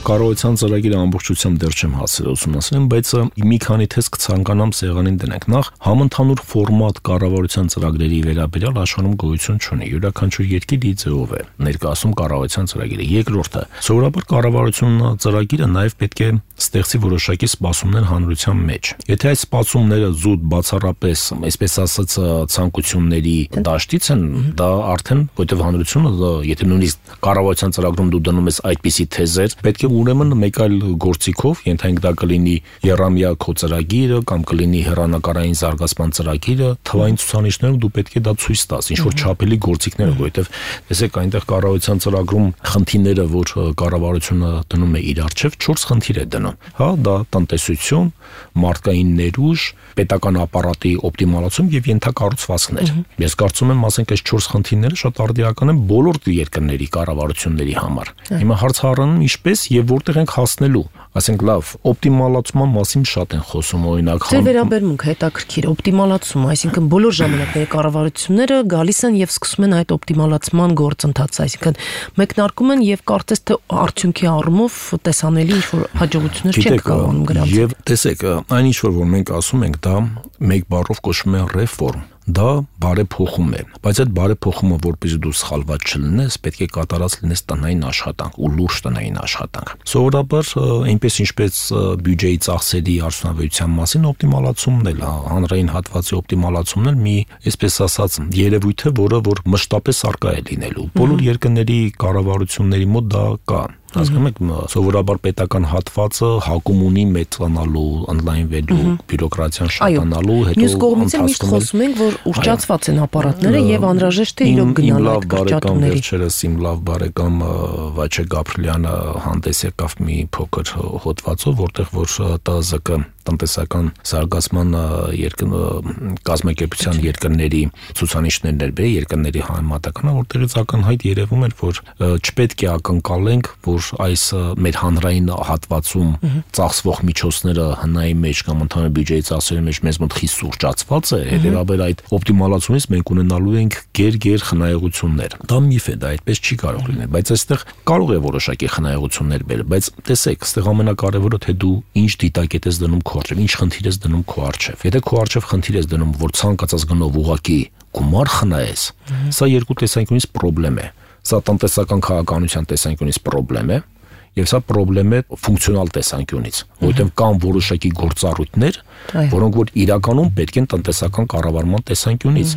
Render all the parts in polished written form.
Կառավարության ծրագիրը ամբողջությամբ դեռ չեմ հասել ուսումնասիրեմ, բայց մի քանի թեզ կցանկանամ սեղանին դնենք։ Նախ համընդհանուր ֆորմատ կառավարության ծրագրերի վերաբերյալ աշխարհում գոյություն չունի։ Յուրաքանչյուր երկիր իր ձևով է ներկայացնում կառավարության ծրագիրը։ Երկրորդը, սովորաբար կառավարության ծրագիրը նաև պետք է ստեղծի որոշակի սպասումներ հանրության մեջ։ Եթե այս սպասումները զուտ բացառապես, այսպես ասած, ցանկությունների դաշտից են, դա արդեն որտեղ հանրությունը, եթե նույնիսկ կառավարության ծրագրում դու դնում ես այդպիսի թեզեր, պետք է ուրեմն մեկ այլ գործիքով, ենթենք դա կլինի եռամյա քո ծրագիրը կամ կլինի հեռանկարային զարգացման ծրագիրը, թվային ցուցանիշներով դու պետք է դա ցույց տաս, ինչ որ չափելի գործիքներով, որովհետև տեսեք այնտեղ կառավարության ծրագրում խնդիրները, որ կառավարությունը դնում է իր առջև, 4 խնդիր է դնում։ Հա, դա տնտեսություն, մարդկային ներուժ, պետական ապարատի օպտիմալացում եւ ենթակառուցվածքներ։ Ես կարծում եմ, ասենք այս 4 խնդիրները շատ արդիական են բոլոր երկրների կառավարությունների համար։ Հիմա հարցը առնում ինչպես եւ որտեղ ենք հասնելու։ Ասենք լավ, օպտիմալացման մասին շատ են խոսում, օրինակ։ Ձեր վերաբերմունքը հետաքրքիր, օպտիմալացում, այսինքն բոլոր ժամանակների կառավարությունները գալիս են եւ սկսում են այդ օպտիմալացման գործընթացը, այսինքն մեկնարկում են եւ կարծես թե արդյունքի առումով տեսանելի ինչ-որ հաջողություններ չեն կարողանում գրանցել։ Եվ տեսեք, այն ինչ որ մենք ասում ենք, դա մեկ բառով կոչվում է ռեֆորմ։ Դա բարեփոխում է, բայց այդ բարեփոխումը, որպեսզի դու սխալված չլինես, պետք է կատարած լինես տնային աշխատանք ու լուրջ տնային աշխատանք։ Սովորաբար այնպես ինչպես բյուջեի ծախսերի արդյունավետության մասին օպտիմալացումն էլ, հանրային հատվածի օպտիմալացումն էլ մի, այսպես ասած, երևույթ է, որ մշտապես արկա է լինելու։ Բոլոր երկրների կառավարությունների մոտ դա կա։ Հասկանում եք, սովորաբար պետական հատվածը հակում ունի մեծանալու, ընդլայնվելու, բյուրոկրատիան շատանալու, հետո մյուս կողմից միշտ խոսում ենք, որ ուռճացված են ապարատները եւ անհրաժեշտ է իրոք գնալ այդ կրճատումների։ Վերջերս իմ լավ բարեկամ Վաչե Գաբրիելյանը հանդես եկավ մի փոքր հոդվածով, որտեղ որ ՏԶԿ տնտեսական զարգացման կազմակերպության երկրների ցուցանիշներն էր բերել, երկրների համատականը, որտեղից ակնհայտ երևում էր, որ չպետք է ակնկալենք, որ այս մեր հանրային հատվածում ծախսվող միջոցները հնայի մեջ կամ ընդհանուր բյուջեի ծախսերի մեջ մեզ մոտ խիստ սուրճացված է, հետեւաբար այդ օպտիմալացումից մենք ունենալու ենք գեր խնայողություններ։ Դա միֆ է, դա այդպես չի կարող լինել, բայց այստեղ կարող է որոշակի խնայողություններ բերել, բայց տեսեք, այստեղ ամենակարևորը թե դու ինչ դիտակետ ես դնում քո առջև, ինչ խնդիր ես դնում քո առջև։ Եթե քո առջև խնդիր ես դնում, որ ցանկացած գնով ուղակի գումար խնայես, սա երկու տեսանկյունից խնդրեմ է։ Սա տնտեսական քաղաքականության տեսանկյունից խնդրեմ է, եւ սա խնդրեմ է ֆունկցիոնալ տեսանկյունից, որովհետեւ կան որոշակի գործառույթներ, որոնք որ իրականում պետք են տնտեսական կառավարման տեսանկյունից։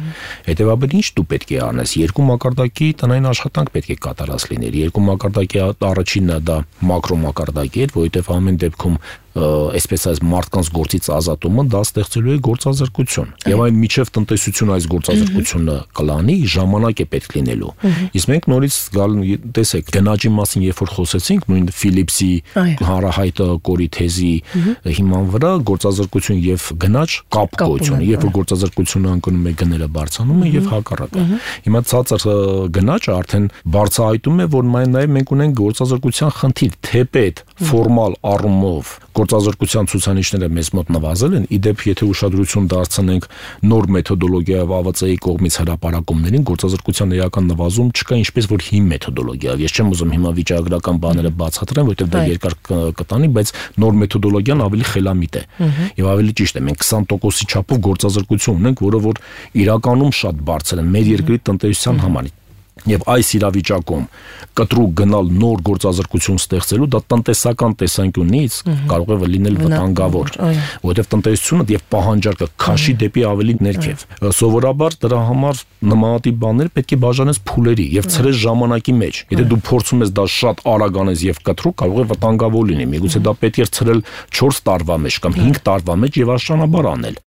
Հետեւաբար ինչ դու պետք է անես, երկու մակարդակի տնային աշխատանք պետք է կատարած լիներ։ Երկու մակարդակի առաջինը դա մակրո մակարդակի է, որովհետեւ ամեն դեպքում այսպես այս մարդկանց գործից ազատումը դա ստեղծելու է գործազրկություն։ Եվ այն միջև տնտեսությունը այս գործազրկությունը կլանի, ժամանակ է պետք լինելու։ Իսկ մենք նորից տեսեք, գնաճի մասին երբ որ խոսեցինք, նույն Ֆիլիպսի հանրահայտ կորի թեզի հիման վրա գործազրկություն եւ գնաճ կապ գոյություն ունի, երբ որ գործազրկությունը անկնում է, գները բարձրանում են եւ հակառակը։ Հիմա ցածր գնաճը արդեն բարձրահայտում է, որ նաեւ մենք ունենք գործազրկության խնդիր, թեպետ ֆորմալ առումով գործազրկության ցուցանիշները մեզ մոտ նվազել են, իդեպ եթե ուշադրություն դարձնենք նոր մեթոդոլոգիայով ԱՎԾ-ի կողմից հրապարակումներին, գործազրկության էական նվազում չկա, ինչպես որ հին մեթոդոլոգիայով։ Ես չեմ ուզում հիմա վիճակագրական բաները բացատրեմ, որովհետև դա երկար կտանի, բայց նոր մեթոդոլոգիան ավելի խելամիտ է։ Եվ ավելի ճիշտ է, մենք 20%-ի չափով գործազրկություն ունենք, որը որ իրականում շատ բարձր է մեր երկրի տնտեսության համար։ Եվ այս իրավիճակում կտրուկ գնալ նոր գործազրկություն ստեղծելու, դա տնտեսական տեսանկյունից կարող է լինել վտանգավոր, որովհետև տնտեսությունը եւ պահանջարկը քաշի դեպի ավելի ներքև։ Սովորաբար դրա համար նմանատիպ բաներ պետք է բաժանես փուլերի եւ ցրես ժամանակի մեջ։ Եթե դու փորձում ես դա շատ արագ անես եւ կտրուկ, կարող է վտանգավոր լինի։ Միգուցե դա պետք է ցրել 4 տարվա մեջ կամ 5 տարվա մեջ եւ աստիճանաբար անել։